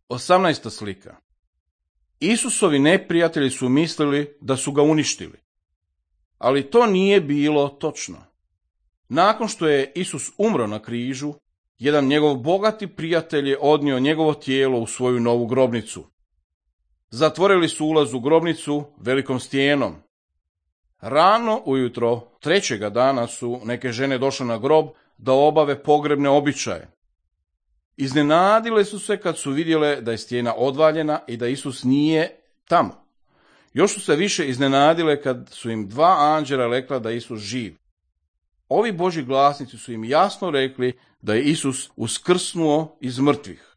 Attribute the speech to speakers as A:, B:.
A: 18. slika. Isusovi neprijatelji su mislili da su ga uništili. Ali to nije bilo točno. Nakon što je Isus umro na križu, jedan njegov bogati prijatelj je odnio njegovo tijelo u svoju novu grobnicu. Zatvorili su ulaz u grobnicu velikom stijenom. Rano ujutro trećega dana su neke žene došle na grob da obave pogrebne običaje. Iznenadile su se kad su vidjele da je stijena odvaljena i da Isus nije tamo. Još su se više iznenadile kad su im dva anđela rekla da je Isus živ. Ovi Božji glasnici su im jasno rekli da je Isus uskrsnuo iz mrtvih.